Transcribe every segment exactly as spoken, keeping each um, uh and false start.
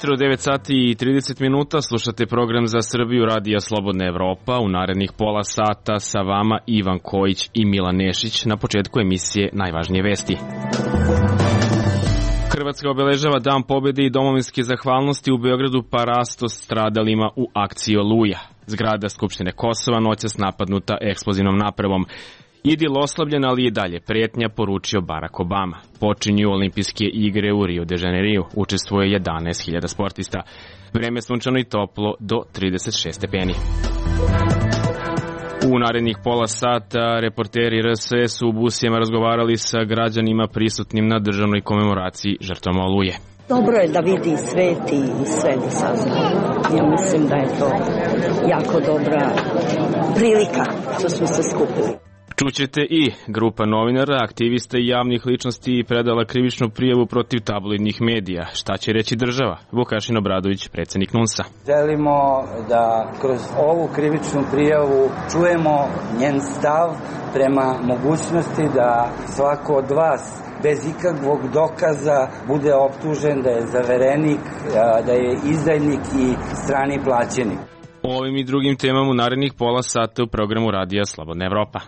ujutro, devet sati i trideset minuta, slušate program za Srbiju Radija Slobodna Evropa. U narednih pola sata sa vama Ivan Kojić i Milan Nešić. Na početku emisije najvažnije vesti. Hrvatska obeležava Dan pobjede i domovinske zahvalnosti u Beogradu parasto stradalima u akciji Oluja. Zgrada Skupštine Kosova noćas napadnuta eksplozivnom napravom. Idil oslabljen, ali i dalje pretnja, poručio Barack Obama. Počinju olimpijske igre u Rio de Janeiro. Učestvuje jedanaest hiljada sportista. Vreme sunčano i toplo do trideset šest stepeni. U narednih pola sata reporteri R S S u Busijama razgovarali sa građanima prisutnim na državnoj komemoraciji žrtvama Oluje. Dobro je da vidi svet i sve da sazna. Ja mislim da je to jako dobra prilika što smo se skupili. Čućete i grupa novinara, aktivista i javnih ličnosti predala krivičnu prijavu protiv tabloidnih medija. Šta će reći država? Vukašin Obradović, predsjednik N U N S-a. Želimo da kroz ovu krivičnu prijavu čujemo njen stav prema mogućnosti da svako od vas bez ikakvog dokaza bude optužen da je zaverenik, da je izdajnik i strani plaćenik. O ovim i drugim temama u narednih pola sata u programu Radija Slobodna Evropa.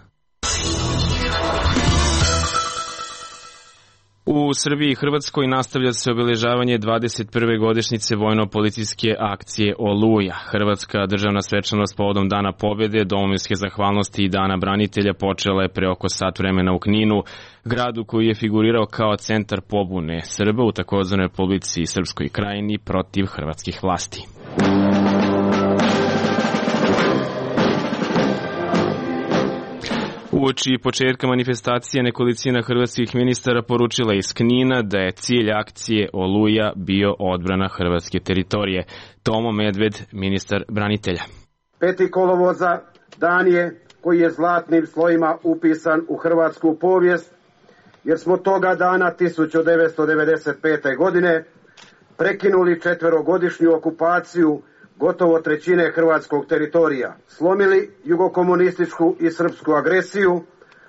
U Srbiji i Hrvatskoj nastavlja se obeležavanje dvadeset prve godišnjice vojno-policijske akcije Oluja. Hrvatska državna svečanost povodom Dana pobjede, domovinske zahvalnosti i Dana branitelja počela je pre oko sat vremena u Kninu, gradu koji je figurirao kao centar pobune Srba u takozvanoj Republici Srpskoj Krajini protiv hrvatskih vlasti. Uoči početka manifestacije nekolicina hrvatskih ministara poručila iz Knina da je cilj akcije Oluja bio odbrana hrvatske teritorije. Tomo Medved, ministar branitelja. Peti kolovoza dan je koji je zlatnim slojima upisan u hrvatsku povijest, jer smo toga dana tisuću devetsto devedeset pete. godine prekinuli četverogodišnju okupaciju gotovo trećine hrvatskog teritorija, slomili jugokomunističku i srpsku agresiju,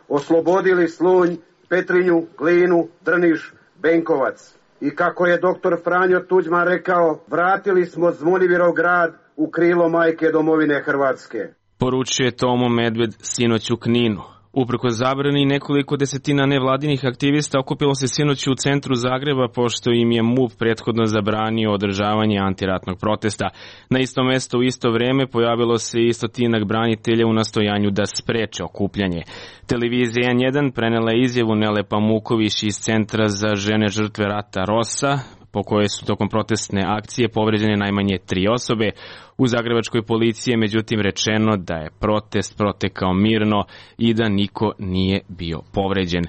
oslobodili Slunj, Petrinju, Glinu, Drniš, Benkovac. I kako je doktor Franjo Tuđman rekao, vratili smo Zvonimirov grad u krilo majke domovine Hrvatske. Poručuje Tomo Medved sinoć u Kninu. Uprkos zabrani, nekoliko desetina nevladinih aktivista okupilo se sinoć u centru Zagreba, pošto im je M U P prethodno zabranio održavanje antiratnog protesta. Na isto mesto u isto vreme pojavilo se i stotinak branitelja u nastojanju da spreče okupljanje. Televizija N jedan prenela je izjavu Nele Pamuković iz Centra za žene žrtve rata Rosa, po kojoj su tokom protestne akcije povređene najmanje tri osobe. U zagrebačkoj policiji je međutim rečeno da je protest protekao mirno i da niko nije bio povređen.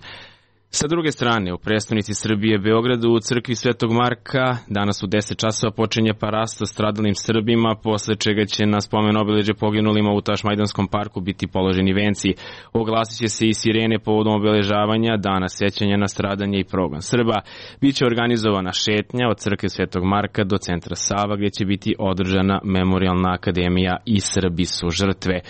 Sa druge strane, u prestonici Srbije, Beogradu, u crkvi Svetog Marka, danas u deset časova počinje parasto stradalim Srbima, posle čega će na spomen obeležje poginulima u Tašmajdanskom parku biti položeni venci. Oglasit će se i sirene povodom obeležavanja Dana sećanja na stradanje i progon Srba. Biće organizovana šetnja od crkve Svetog Marka do centra Sava, gdje će biti održana Memorijalna akademija i Srbi su žrtve.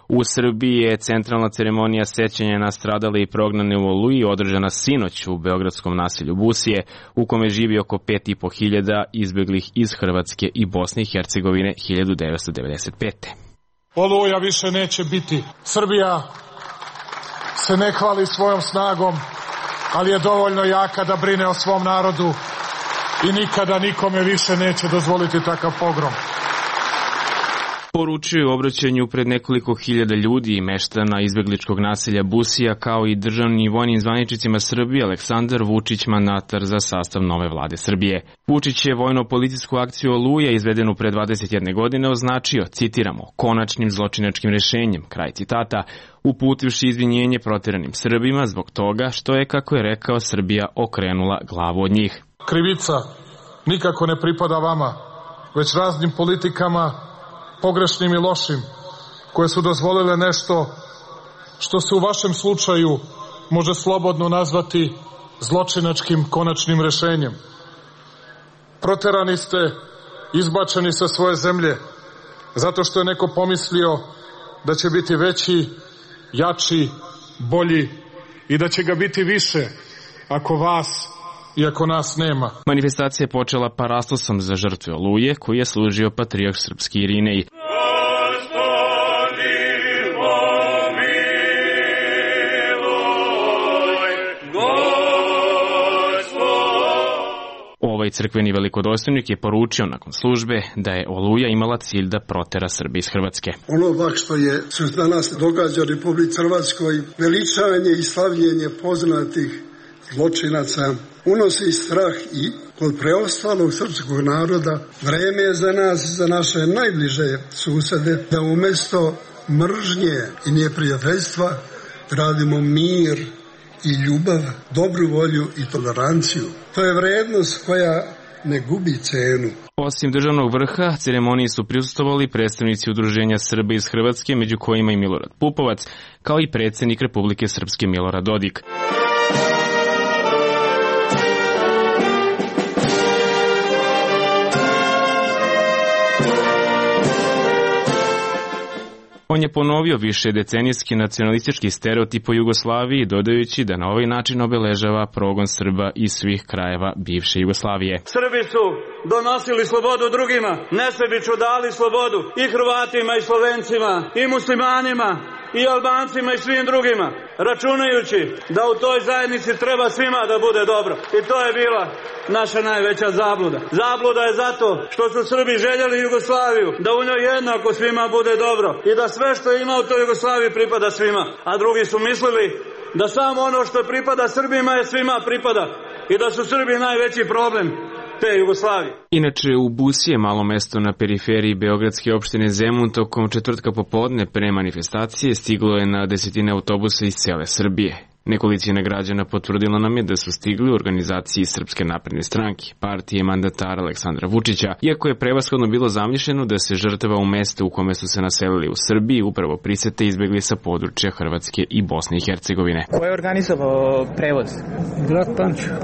U Srbiji je centralna ceremonija sećanja na stradale i prognane u Oluji održana sinoć u beogradskom naselju Busije, u kome živi oko pet i po hiljada izbeglih iz Hrvatske i Bosne i Hercegovine hiljadu devetsto devedeset pete. Oluja više neće biti. Srbija se ne hvali svojom snagom, ali je dovoljno jaka da brine o svom narodu i nikada nikome više neće dozvoliti takav pogrom. Poručuju u obraćanju pred nekoliko hiljada ljudi i meštana izbegličkog naselja Busija, kao i državnim i vojnim zvaničnicima Srbije Aleksandar Vučić, mandatar za sastav nove vlade Srbije. Vučić je vojno-policijsku akciju Oluja izvedenu pre dvadeset jedne godine označio, citiramo, konačnim zločinačkim rešenjem, kraj citata, uputivši izvinjenje proteranim Srbima zbog toga što je, kako je rekao, Srbija okrenula glavu od njih. Krivica nikako ne pripada vama, već raznim politikama, pogrešnim i lošim, koje su dozvolile nešto što se u vašem slučaju može slobodno nazvati zločinačkim konačnim rešenjem. Proterani ste, izbačeni sa svoje zemlje, zato što je neko pomislio da će biti veći, jači, bolji i da će ga biti više ako vas iako nas nema. Manifestacija je počela parastosom za žrtve Oluje, koji je služio patrijarh srpski Irinej. Ovaj crkveni velikodostojnik je poručio nakon službe da je Oluja imala cilj da protera Srbe iz Hrvatske. Ono pak što je se danas događa u Republici Hrvatskoj, veličanje i slavljenje poznatih zločinaca, unosi strah i kod preostalog srpskog naroda. Vreme je za nas, za naše najbliže susede, da umjesto mržnje i neprijateljstva radimo mir i ljubav, dobru volju i toleranciju. To je vrednost koja ne gubi cenu. Osim državnog vrha, ceremoniji su prisustvovali predstavnici Udruženja Srba iz Hrvatske, među kojima i Milorad Pupovac, kao i predsjednik Republike Srpske Milorad Dodik. On je ponovio više decenijski nacionalistički stereotip o Jugoslaviji, dodajući da na ovaj način obeležava progon Srba iz svih krajeva bivše Jugoslavije. Srbi su donosili slobodu drugima, nesebično dali slobodu i Hrvatima i Slovencima i muslimanima i Albancima i svim drugima, računajući da u toj zajednici treba svima da bude dobro. I to je bila naša najveća zabluda. Zabluda je zato što su Srbi željeli Jugoslaviju, da u njoj jednako svima bude dobro i da sve što ima u toj Jugoslaviji pripada svima. A drugi su mislili da samo ono što pripada Srbima je svima pripada i da su Srbi najveći problem te Jugoslavije. Inače, u Busije, malo mesto na periferiji beogradske opštine Zemun, tokom četvrtka popodne pre manifestacije stiglo je na desetine autobusa iz cele Srbije. Nekolicina građana potvrdila nam je da su stigli u organizaciji Srpske napredne stranke, partije mandatara Aleksandra Vučića, iako je prevashodno bilo zamišljeno da se žrtava u mestu u kome su se naselili u Srbiji upravo prisete izbegli sa područja Hrvatske i Bosne i Hercegovine. Ko je organizovao prevoz? Grad Pančevo.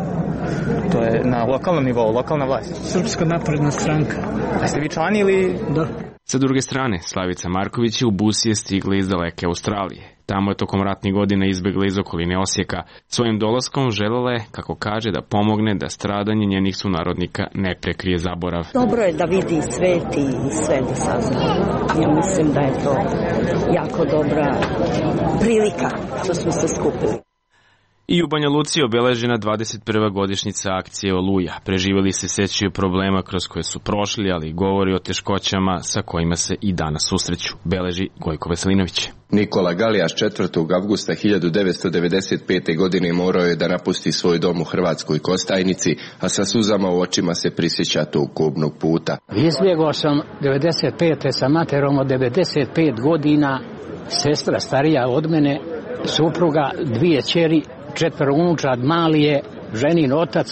To je na lokalnom nivou, lokalna vlast. Srpska napredna stranka. A ste vi člani ili? Da. Sa druge strane, Slavica Marković je u Busije stigla iz daleke Australije. Tamo je tokom ratnih godina izbegla iz okoline Osijeka. Svojim dolaskom želela je, kako kaže, da pomogne da stradanje njenih sunarodnika ne prekrije zaborav. Dobro je da vidi svet i sve da sazna. Ja mislim da je to jako dobra prilika što smo se skupili. I u Banja Luci obeležena dvadeset prva godišnjica akcije Oluja. Preživjeli se sećaju problema kroz koje su prošli, ali govori o teškoćama sa kojima se i danas susreću, beleži Gojko Veselinović. Nikola Galijaš četvrtog avgusta hiljadu devetsto devedeset pete. godine morao je da napusti svoj dom u Hrvatskoj Kostajnici, a sa suzama u očima se prisjeća tog kobnog puta. Izbjegao sam devedeset pete sa materom od devedeset pet godina, sestra starija od mene, supruga, dvije ćeri, četvero unučad, mali je, ženin otac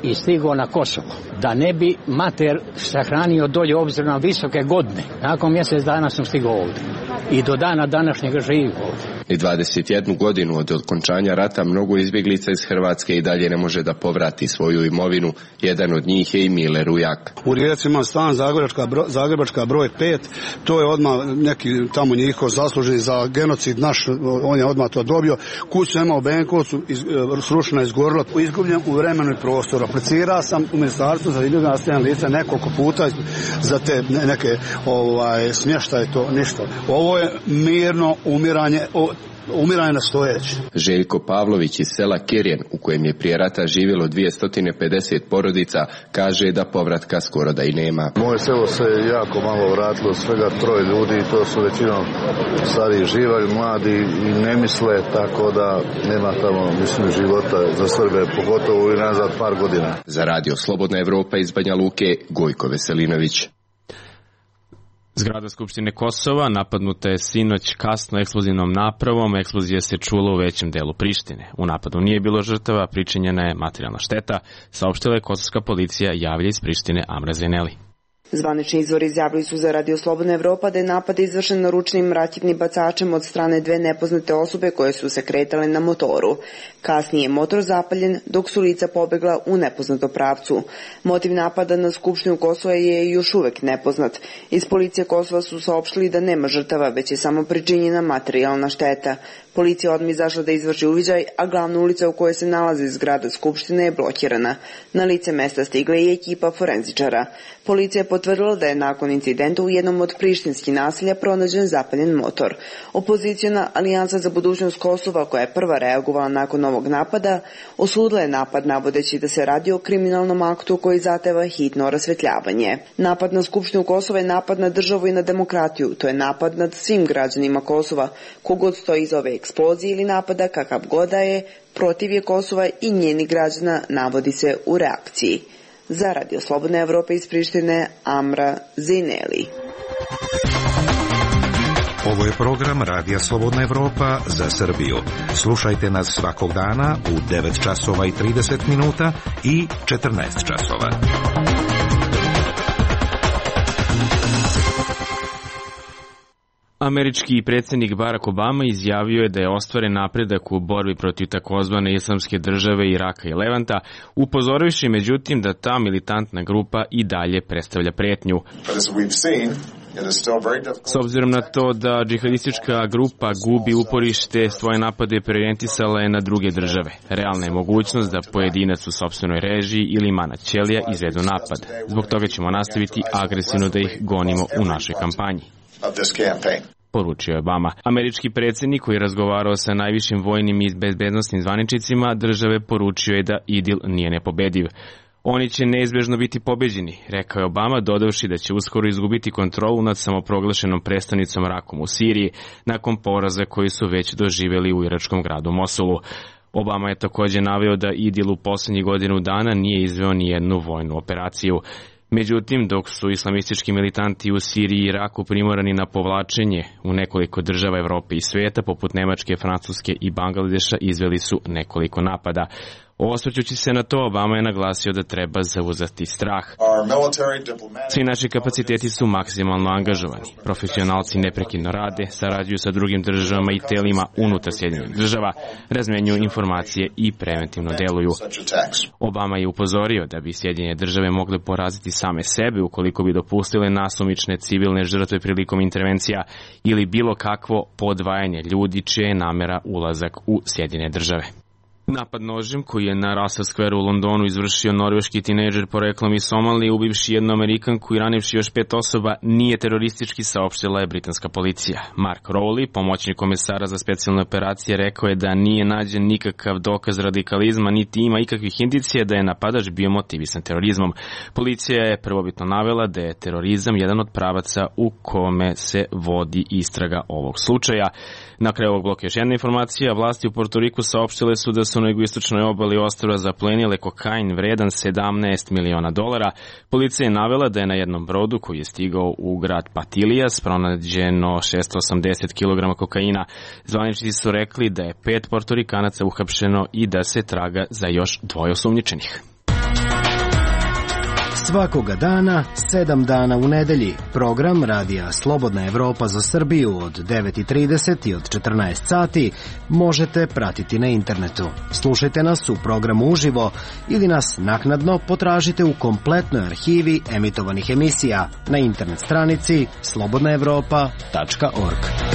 i stigao na Kosovo. Da ne bi mater sahranio dolje obzirom na visoke godine. Nakon mjesec dana sam stigao ovdje. I do dana današnjega živim ovdje. I dvadeset jednu godinu od okončanja rata mnogo izbjeglica iz Hrvatske i dalje ne može da povrati svoju imovinu. Jedan od njih je i Mile Rujak. U Rijeci imam stan Zagrebačka, bro, Zagrebačka broj pet. To je odmah neki tamo njihov zaslužen za genocid naš, on je odmah to dobio. Kuću imao u Benkovcu, iz, srušena izgorila, izgubljen u vremenu i prostoru. Aplicirao sam u ministarstvu za ljudima nastavljena lica nekoliko puta za te neke ovaj, smještaje, to ništa. Ovo je mirno umiranje, o, umiranje na stojeći. Željko Pavlović iz sela Kirjen, u kojem je prije rata živjelo dvjesto pedeset porodica, kaže da povratka skoro da i nema. Moje selo se jako malo vratilo, svega troje ljudi, to su većinom stariji živalj, mladi i ne misle, tako da nema tamo, mislim, života za Srbe, pogotovo i nazad par godina. Za radio Slobodna Evropa iz Banja Luke, Gojko Veselinović. Zgrada Skupštine Kosova napadnuta je sinoć kasno eksplozivnom napravom. Eksplozija se čula u većem delu Prištine. U napadu nije bilo žrtava, pričinjena je materijalna šteta, saopštila je kosovska policija, javlja iz Prištine Amra Zeneli. Zvanični izvori izjavili su za Radio Slobodna Evropa da je napad izvršen naručnim raketnim bacačem od strane dve nepoznate osobe koje su se kretale na motoru. Kasnije je motor zapaljen dok su lica pobegla u nepoznatom pravcu. Motiv napada na Skupštinu Kosova je još uvek nepoznat. Iz policije Kosova su saopštili da nema žrtava, već je samo pričinjena materijalna šteta. Policija odmah izašla da izvrši uviđaj, a glavna ulica u kojoj se nalazi zgrada Skupštine je blokirana. Na lice mesta stigla je ekipa forenzičara. Policija je potvrdila da je nakon incidenta u jednom od prištinskih naselja pronađen zapaljen motor. Opoziciona Alijansa za budućnost Kosova, koja je prva reagovala nakon ovog napada, osudila je napad navodeći da se radi o kriminalnom aktu koji zahteva hitno rasvetljavanje. Napad na Skupštinu Kosova je napad na državu i na demokratiju. To je napad nad svim građanima Kosova. Kogod stoji iz ove eksplozije ili napada, kakav god da je, protiv je Kosova i njenih građana, navodi se u reakciji. Za Radio Slobodne Evrope iz Prištine, Amra Zineli. Ovo je program Radija Slobodna Evropa za Srbiju. Slušajte nas svakog dana u devet časova i trideset minuta i četrnaest časova. Američki predsjednik Barack Obama izjavio je da je ostvaren napredak u borbi protiv takozvane islamske države Iraka i Levanta, upozorivši međutim da ta militantna grupa i dalje predstavlja pretnju. S obzirom na to da džihadistička grupa gubi uporište, svoje napade preorijentisala je na druge države. Realna je mogućnost da pojedinac u sopstvenoj režiji ili mana ćelija izvedu napad. Zbog toga ćemo nastaviti agresivno da ih gonimo u našoj kampanji, poručio je Obama. Američki predsjednik koji je razgovarao sa najvišim vojnim i bezbednosnim zvaničnicima države poručio je da IDIL nije nepobediv. Oni će neizbežno biti pobeđeni, rekao je Obama, dodavši da će uskoro izgubiti kontrolu nad samoproglašenom predstavnicom Rakom u Siriji nakon poraza koji su već doživjeli u iračkom gradu Mosulu. Obama je također naveo da IDIL u posljednjih godinu dana nije izveo ni jednu vojnu operaciju. Međutim, dok su islamistički militanti u Siriji i Iraku primorani na povlačenje u nekoliko država Evrope i svijeta, poput Nemačke, Francuske i Bangladeša, izveli su nekoliko napada. Osvrćući se na to, Obama je naglasio da treba zauzeti strah. Svi naši kapaciteti su maksimalno angažovani. Profesionalci neprekidno rade, sarađuju sa drugim državama i telima unutar Sjedinjenih država, razmenjuju informacije i preventivno deluju. Obama je upozorio da bi Sjedinjene države mogle poraziti same sebe ukoliko bi dopustile nasumične civilne žrtve prilikom intervencija ili bilo kakvo podvajanje ljudi čije je namera ulazak u Sjedinjene države. Napad nožem koji je na Russell Square u Londonu izvršio norveški tinejdžer poreklom iz Somalije, ubivši jednu Amerikanku i ranivši još pet osoba, nije teroristički, saopštila je britanska policija. Mark Rowley, pomoćnik komesara za specijalne operacije, rekao je da nije nađen nikakav dokaz radikalizma, niti ima ikakvih indicija da je napadač bio motivisan terorizmom. Policija je prvobitno navela da je terorizam jedan od pravaca u kome se vodi istraga ovog slučaja. Na kraju ovog bloka još jedna informacija. Vlasti u Portoriku saopštile su da su na jugoistočnoj obali ostrva zaplenile kokain vredan sedamnaest miliona dolara. Policija je navela da je na jednom brodu koji je stigao u grad Patilijas pronađeno šesto osamdeset kilograma kokaina. Zvaničnici su rekli da je pet Portorikanaca uhapšeno i da se traga za još dvoje osumnjičenih. Svakoga dana, sedam dana u nedelji, program Radija Slobodna Evropa za Srbiju od devet i trideset i od četrnaest sati možete pratiti na internetu. Slušajte nas u programu uživo ili nas naknadno potražite u kompletnoj arhivi emitovanih emisija na internet stranici slobodna evropa tačka org.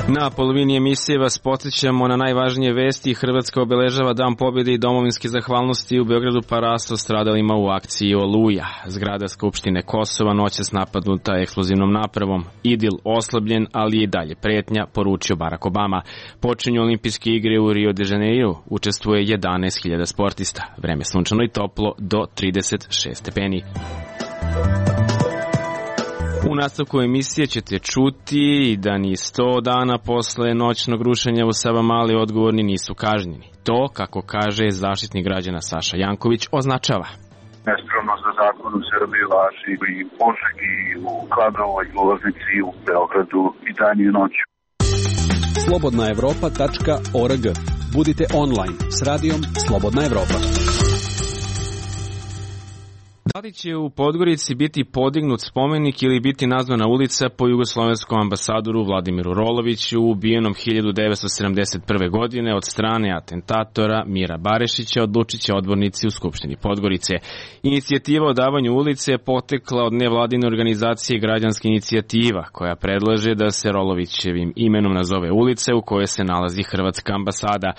Na polovini emisije vas podsjećamo na najvažnije vesti. Hrvatska obeležava Dan pobjede i domovinske zahvalnosti u Beogradu Paraso stradalima u akciji Oluja. Zgrada Skupštine Kosova noćas napadnuta eksplozivnom napravom. IDIL oslabljen, ali je i dalje pretnja, poručio Barack Obama. Počinju olimpijske igre u Rio de Janeiro. Učestvuje jedanaest hiljada sportista. Vreme sunčano i toplo do trideset šest stepeni. U nastavku emisije ćete čuti da ni sto dana posle noćnog rušenja u Savamali odgovorni nisu kažnjeni. To, kako kaže zaštitnik građana Saša Janković, označava nespravnost za zakon u Srbiji važi i u Požegi, u Kladovoj, u Loznici, u Beogradu i dan i noću. slobodna evropa tačka org. Budite online s radijom Slobodna Evropa. Da li će u Podgorici biti podignut spomenik ili biti nazvana ulica po jugoslovenskom ambasadoru Vladimiru Roloviću, ubijenom hiljadu devetsto sedamdeset prve. godine od strane atentatora Mira Barešića, odlučiće odbornici u Skupštini Podgorice. Inicijativa o davanju ulice je potekla od nevladine organizacije Građanska inicijativa, koja predlaže da se Rolovićevim imenom nazove ulice u kojoj se nalazi hrvatska ambasada.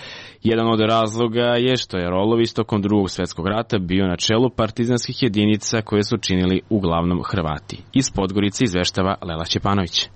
Jedan od razloga je što je Rolović tokom Drugog svjetskog rata bio na čelu partizanskih jedinica koje su činili uglavnom Hrvati. Iz Podgorice izveštava Lela Ćepanović.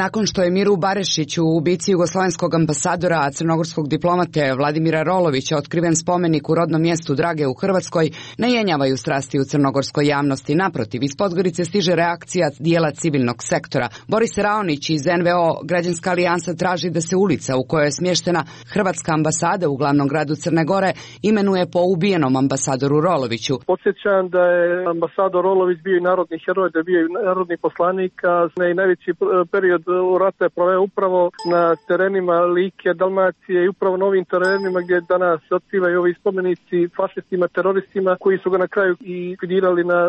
Nakon što je Miru Barešiću, ubici jugoslovenskog ambasadora, a crnogorskog diplomate Vladimira Rolovića, otkriven spomenik u rodnom mjestu Drage u Hrvatskoj, ne jenjavaju strasti u crnogorskoj javnosti. Naprotiv, iz Podgorice stiže reakcija dijela civilnog sektora. Boris Raonić iz en ve o Građanska alijansa traži da se ulica u kojoj je smještena hrvatska ambasada u glavnom gradu Crne Gore imenuje po ubijenom ambasadoru Roloviću. Podsjećam da je ambasador Rolović bio i narodni heroj, da je bio i narodni poslanik, a i najveći period u rata je proveo upravo na terenima Like, Dalmacije i upravo na ovim terenima gdje danas se otkrivaju ovi spomenici fašistima, teroristima koji su ga na kraju i likvidirali na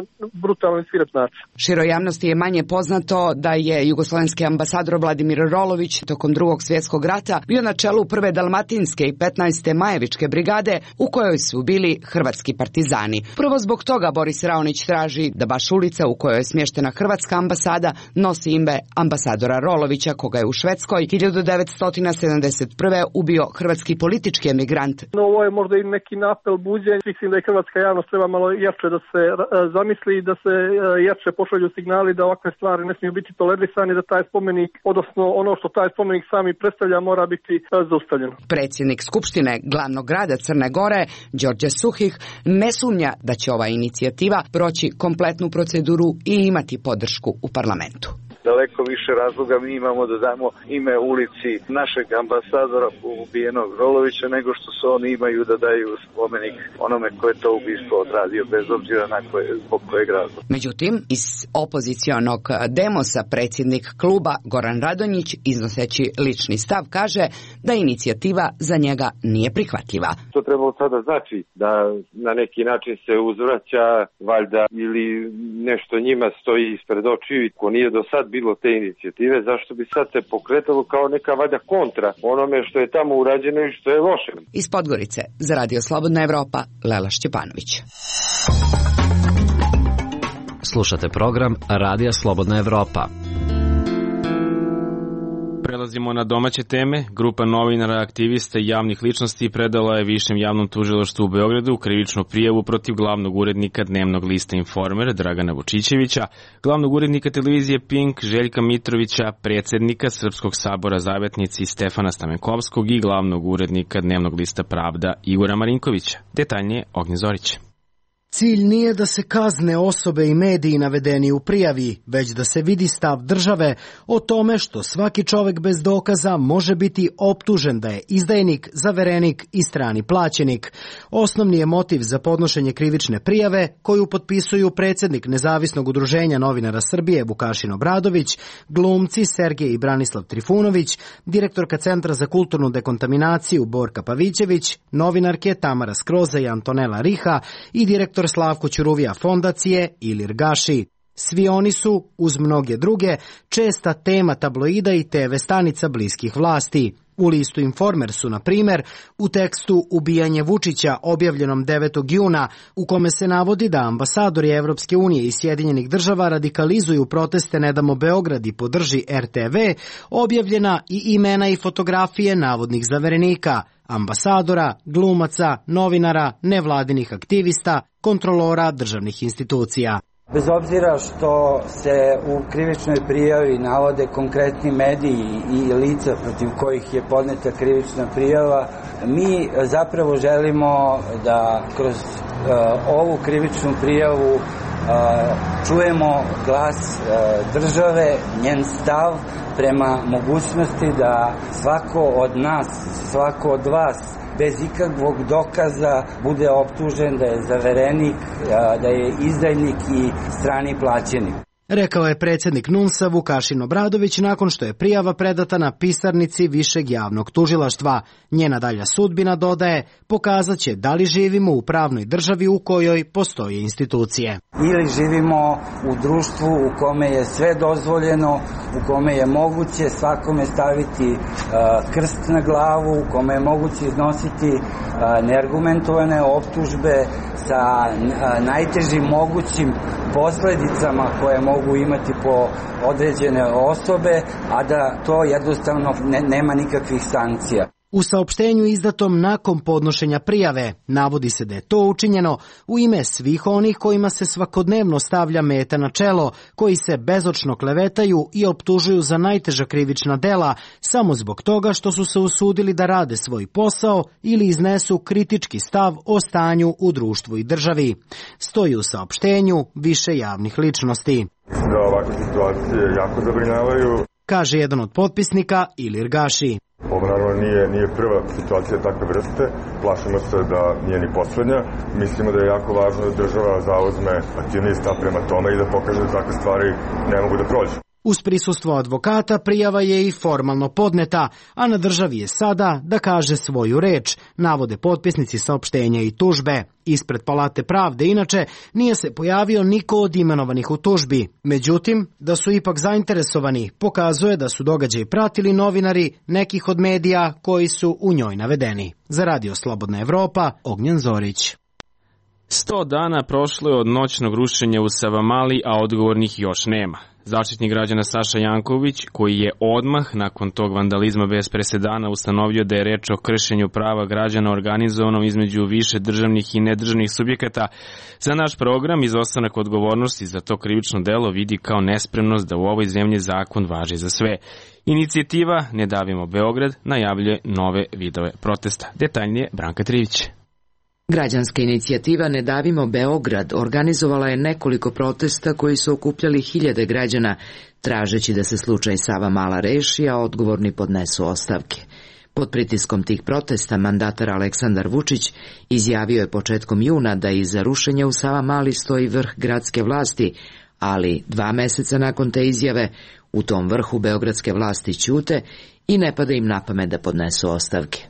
brutalni i svirep način. Široj javnosti je manje poznato da je jugoslovenski ambasador Vladimir Rolović tokom Drugog svjetskog rata bio na čelu prve Dalmatinske i petnaeste Majevičke brigade u kojoj su bili hrvatski partizani. Prvo zbog toga Boris Raonić traži da baš ulica u kojoj je smještena hrvatska ambasada nosi ime ambasadora Rolovića, koga je u Švedskoj hiljadu devetsto sedamdeset prve. ubio hrvatski politički emigrant. No, ovo je možda i neki napel buđenja. Mislim da je hrvatska javnost treba malo jače da se zamisli i da se jače pošalju signali da ovakve stvari ne smiju biti tolerisani, da taj spomenik, odnosno ono što taj spomenik sami predstavlja, mora biti zaustavljeno. Predsjednik Skupštine glavnog grada Crne Gore, Đorđe Suhih, ne sumnja da će ova inicijativa proći kompletnu proceduru i imati podršku u parlamentu. Daleko više razloga mi imamo da damo ime ulici našeg ambasadora ubijenog Rolovića nego što se oni imaju da daju spomenik onome ko je to ubistvo odradio, bez obzira na koje, zbog kojeg razloga. Međutim, iz opozicionog Demosa predsjednik kluba Goran Radonjić, iznoseći lični stav, kaže da inicijativa za njega nije prihvatljiva. To trebalo sada znači da na neki način se uzvraća valjda ili nešto njima stoji ispred očiju, ko nije do sad bilo te inicijative, zašto bi sad se pokretalo kao neka valjda kontra onome što je tamo urađeno i što je loše. Iz Podgorice za Radio Slobodna Evropa, Lela Šćepanović. Slušate program Radija Slobodna Evropa. Prelazimo na domaće teme. Grupa novinara, aktivista i javnih ličnosti predala je Višem javnom tužilaštvu u Beogradu krivičnu prijavu protiv glavnog urednika dnevnog lista Informer Dragana Vučićevića, glavnog urednika televizije Pink Željka Mitrovića, predsjednika Srpskog sabora Zavetnici Stefana Stamenkovskog i glavnog urednika dnevnog lista Pravda Igora Marinkovića. Detaljnije Ognjen Zorić. Cilj nije da se kazne osobe i mediji navedeni u prijavi, već da se vidi stav države o tome što svaki čovjek bez dokaza može biti optužen da je izdajnik, zaverenik i strani plaćenik. Osnovni je motiv za podnošenje krivične prijave koju potpisuju predsjednik Nezavisnog udruženja novinara Srbije Vukašin Obradović, glumci Sergej i Branislav Trifunović, direktorka Centra za kulturnu dekontaminaciju Borka Pavićević, novinarke Tamara Skroza i Antonela Riha i direktor Slavko Ćuruvija fondacije Ilir Gaši. Svi oni su, uz mnoge druge, česta tema tabloida i te ve stanica bliskih vlasti. U listu Informer su, na primjer, u tekstu Ubijanje Vučića objavljenom devetog juna, u kome se navodi da ambasadori Evropske unije i Sjedinjenih država radikalizuju proteste Ne damo Beograd i podrži er te ve, objavljena i imena i fotografije navodnih zaverenika, ambasadora, glumaca, novinara, nevladinih aktivista, kontrolora državnih institucija. Bez obzira što se u krivičnoj prijavi navode konkretni mediji i lica protiv kojih je podneta krivična prijava, mi zapravo želimo da kroz uh, ovu krivičnu prijavu uh, čujemo glas uh, države, njen stav prema mogućnosti da svako od nas, svako od vas bez ikakvog dokaza bude optužen da je zaverenik, da je izdajnik i strani plaćenik. Rekao je predsjednik NUNS-a Vukašin Obradović nakon što je prijava predata na pisarnici Višeg javnog tužilaštva. Njena dalja sudbina, dodaje, pokazat će da li živimo u pravnoj državi u kojoj postoje institucije. ili živimo u društvu u kome je sve dozvoljeno, u kome je moguće svakome staviti uh, krst na glavu, u kome je moguće iznositi uh, neargumentovane optužbe sa uh, najtežim mogućim posledicama koje mogu imati po određene osobe, a da to jednostavno ne, nema nikakvih sankcija. U saopštenju izdatom nakon podnošenja prijave navodi se da je to učinjeno u ime svih onih kojima se svakodnevno stavlja meta na čelo, koji se bezočno klevetaju i optužuju za najteža krivična dela samo zbog toga što su se usudili da rade svoj posao ili iznesu kritički stav o stanju u društvu i državi. Stoji u saopštenju više javnih ličnosti. Da ovakve situacije jako zabrinjavaju, kaže jedan od potpisnika Ilir Gaši. Ovo naravno nije, nije prva situacija takve vrste, plašimo se da nije ni poslednja. Mislimo da je jako važno da država zauzme aktivniji stav prema tome i da pokaže da takve stvari ne mogu da prođu. Uz prisustvo advokata prijava je i formalno podneta, a na državi je sada da kaže svoju reč, navode potpisnici saopštenja i tužbe. Ispred Palate pravde, inače, nije se pojavio niko od imenovanih u tužbi. Međutim, da su ipak zainteresovani, pokazuje da su događaj pratili novinari nekih od medija koji su u njoj navedeni. Za Radio Slobodna Evropa, Ognjen Zorić. Sto dana prošlo je od noćnog rušenja u Savamali, a odgovornih još nema. Zaštitnik građana Saša Janković, koji je odmah nakon tog vandalizma bez presedana ustanovio da je reč o kršenju prava građana organizovanom između više državnih i nedržavnih subjekata, za naš program izostanak odgovornosti za to krivično delo vidi kao nespremnost da u ovoj zemlji zakon važi za sve. Inicijativa Ne davimo Beograd najavljuje nove vidove protesta. Detaljnije Branka Trivić. Građanska inicijativa Ne davimo Beograd organizovala je nekoliko protesta koji su okupljali hiljade građana, tražeći da se slučaj Savamala reši, a odgovorni podnesu ostavke. Pod pritiskom tih protesta mandatar Aleksandar Vučić izjavio je početkom juna da iza rušenja u Savamali stoji vrh gradske vlasti, ali dva meseca nakon te izjave u tom vrhu beogradske vlasti ćute i ne pada im na pamet da podnesu ostavke.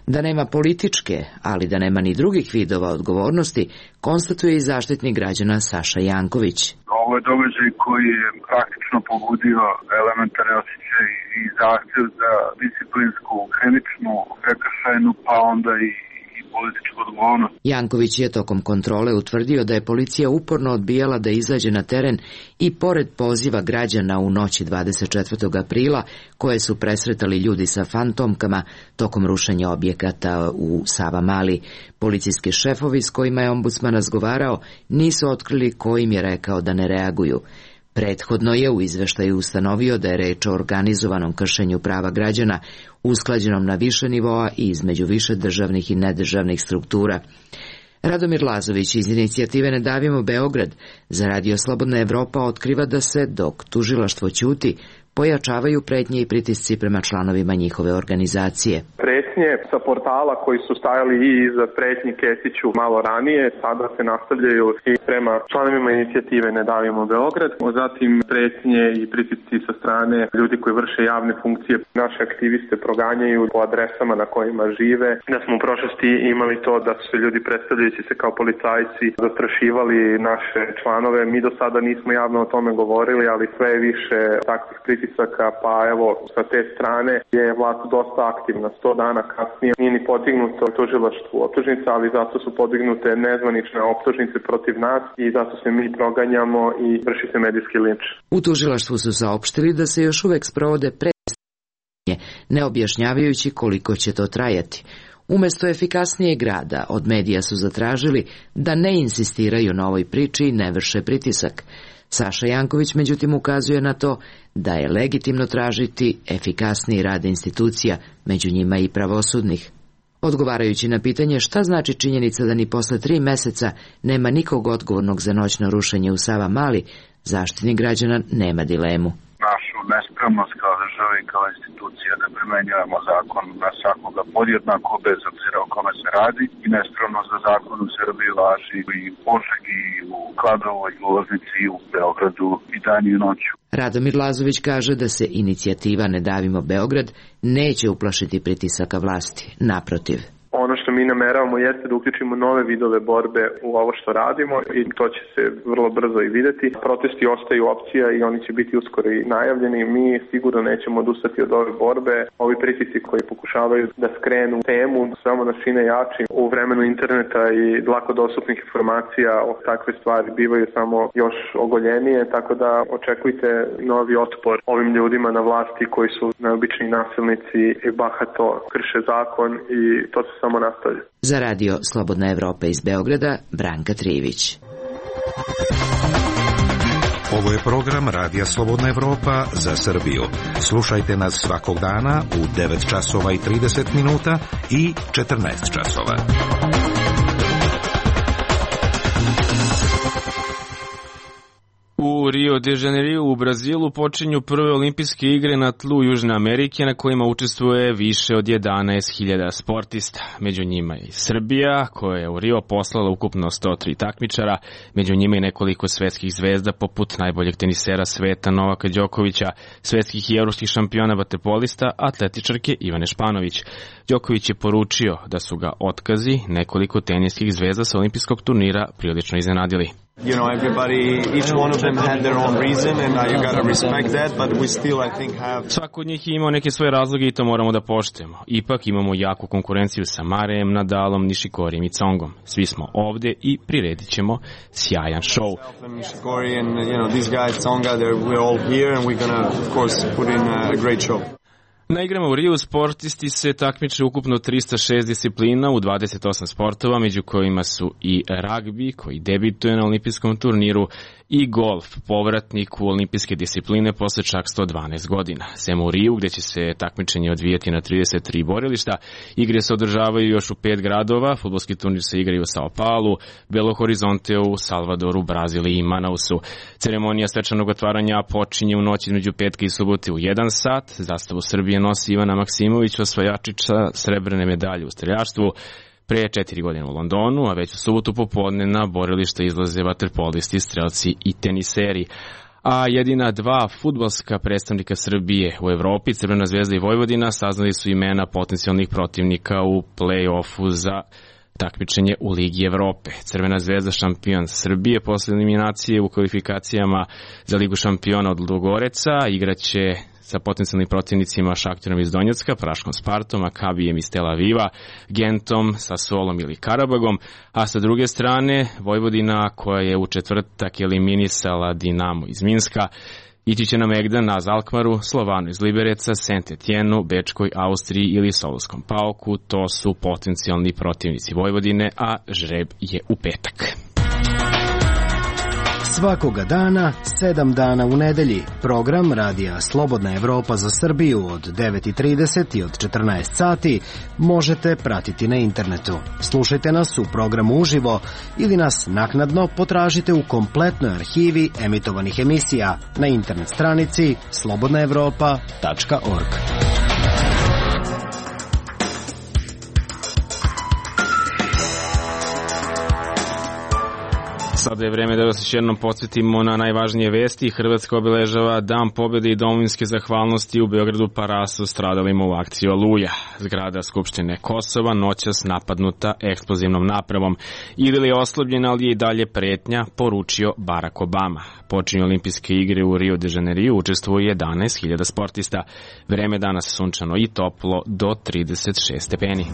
Da nema političke, ali da nema ni drugih vidova odgovornosti, konstatuje i zaštitnik građana Saša Janković. Ovo je događaj koji je praktično pobudio elementarne osjećaje i zahtev za disciplinsku, krivičnu, prekršajnu, pa onda i političku odgovornost. Janković je tokom kontrole utvrdio da je policija uporno odbijala da izađe na teren i pored poziva građana u noći dvadeset četvrtog aprila, koje su presretali ljudi sa fantomkama tokom rušenja objekata u Savamali, policijski šefovi s kojima je ombudsman razgovarao nisu otkrili ko im je rekao da ne reaguju. Prethodno je u izveštaju ustanovio da je reč o organizovanom kršenju prava građana, usklađenom na više nivoa i između više državnih i nedržavnih struktura. Radomir Lazović iz inicijative Ne davimo Beograd za Radio Slobodna Evropa otkriva da se, dok tužilaštvo ćuti, pojačavaju pretnje i pritisci prema članovima njihove organizacije. Pretnje sa portala koji su stajali i iza pretnji Kesiću malo ranije, sada se nastavljaju i prema članovima inicijative Ne davimo Beograd. Zatim pretnje i pritisci sa strane ljudi koji vrše javne funkcije. Naše aktiviste proganjaju po adresama na kojima žive. Da smo u prošlosti imali to da su se ljudi predstavljajući se kao policajci zastrašivali naše članove. Mi do sada nismo javno o tome govorili, ali sve je više takvih pritisci. Pa evo, sa te strane je vlast dosta aktivna. Sto dana kasnije nije ni podignuto tužilaštvu optužnica, ali zato su podignute nezvanične optužnice protiv nas i zato se mi proganjamo i vrši se medijski linč. U tužilaštvu su saopštili da se još uvek sprovode predstavljanje, ne objašnjavajući koliko će to trajati. Umesto efikasnijeg rada, od medija su zatražili da ne insistiraju na ovoj priči i ne vrše pritisak. Saša Janković međutim ukazuje na to da je legitimno tražiti efikasniji rad institucija, među njima i pravosudnih. Odgovarajući na pitanje šta znači činjenica da ni posle tri meseca nema nikog odgovornog za noćno rušenje u Savamali, zaštitnik građana nema dilemu. Našu nespremnost kao država i kao institucija da primenjujemo zakon na svakoga podjednako bez obzira o kome se radi i nespremnost da zakon u Srbiji važi i u Požegi, i u Kladovoj, i u Loznici, i u Beogradu i dan i noću. Radomir Lazović kaže da se inicijativa Ne davimo Beograd neće uplašiti pritisaka vlasti, naprotiv. Ono što mi nameravamo jeste da uključimo nove vidove borbe u ovo što radimo i to će se vrlo brzo i videti. Protesti ostaju opcija i oni će biti uskoro i najavljeni. Mi sigurno nećemo odustati od ove borbe. Ovi pritisci koji pokušavaju da skrenu temu samo nas čine jači. U vremenu interneta i lako dostupnih informacija o takve stvari bivaju samo još ogoljenije, tako da očekujte novi otpor ovim ljudima na vlasti koji su najobičniji nasilnici i bahato krše zakon i to se samo nastavlja. Za radio Slobodna Evropa iz Beograda, Branka Trivić. Ovo je program Radija Slobodna Evropa za Srbiju. Slušajte nas svakog dana u devet časova i trideset minuta i četrnaest časova. U Rio de Janeiro u Brazilu počinju prve olimpijske igre na tlu Južne Amerike na kojima učestvuje više od jedanaest hiljada sportista. Među njima je i Srbija koja je u Rio poslala ukupno sto tri takmičara, među njima i nekoliko svetskih zvezda poput najboljeg tenisera sveta Novaka Đokovića, svetskih i evropskih šampiona vaterpolista, atletičarke Ivane Španović. Đoković je poručio da su ga otkazi nekoliko teniskih zvezda sa olimpijskog turnira prilično iznenadili. You know, everybody, each one of them had their own reason and uh, you gotta respect that, but we still, I think, have... Svako od njih je imao neke svoje razloge i to moramo da poštujemo. Ipak imamo jaku konkurenciju sa Marejem, Nadalom, Nishikorijem i Congom. Svi smo ovde i priredit ćemo sjajan show. Nishikori and, you know, these guys, Tsonga, we're all here and we're gonna, of course, put in a great show. Na igrama u Riju sportisti se takmiče ukupno trista šest disciplina u dvadeset osam sportova, među kojima su i ragbi koji debituje na olimpijskom turniru i golf, povratnik u olimpijske discipline posle čak sto dvanaest godina. Sem u Riju, gde će se takmičenje odvijati na trideset tri borilišta, igre se održavaju još u pet gradova, fudbalski turnir se igraju u Sao Paulu, Belo Horizonteu, Salvadoru, Brazili i Manausu. Ceremonija svečanog otvaranja počinje u noći između petka i subote u jedan sat. Zastavu Srbije nosi Ivana Maksimović, osvajačica srebrne medalje u streljaštvu. Pre četiri godine u Londonu, a već u subotu popodne na borilište izlaze vaterpolisti, strelci i teniseri. A jedina dva fudbalska predstavnika Srbije u Evropi, Crvena zvezda i Vojvodina, saznali su imena potencijalnih protivnika u play-offu za takmičenje u Ligi Evrope. Crvena zvezda šampion Srbije posle eliminacije u kvalifikacijama za Ligu šampiona od Ludogoreca igraće sa potencijalnim protivnicima Šakterom iz Donjecka, Praškom Spartom, Makabijem iz Tel Aviva, Gentom, Sasolom ili Karabagom, a sa druge strane Vojvodina koja je u četvrtak eliminisala Dinamo iz Minska, ići će na Megdan, na Alkmaru, Slovanu iz Libereca, Saint-Etienne, Bečkoj, Austriji ili Solonskom Pauku. To su potencijalni protivnici Vojvodine, a žreb je u petak. Svakoga dana, sedam dana u nedelji, program Radija Slobodna Evropa za Srbiju od devet i trideset i od četrnaest sati možete pratiti na internetu. Slušajte nas u programu uživo ili nas naknadno potražite u kompletnoj arhivi emitovanih emisija na internet stranici slobodna evropa tačka org. Sada je vreme da vas još jednom podsjetimo na najvažnije vesti. Hrvatska obeležava Dan pobjede i domovinske zahvalnosti u Beogradu Parasu stradalima u akciji Oluja. Zgrada Skupštine Kosova noćas napadnuta eksplozivnom napravom. Idil je oslabljena, ali je i dalje pretnja, poručio Barack Obama. Počinju olimpijske igre u Rio de Janeiro, učestvuje jedanaest hiljada sportista. Vreme danas sunčano i toplo do trideset šest stepeni.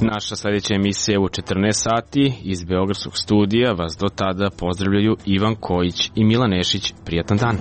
Naša sljedeća emisija je u četrnaest sati. Iz Beogradskog studija vas do tada pozdravljaju Ivan Kojić i Milan Nešić. Prijatan dan.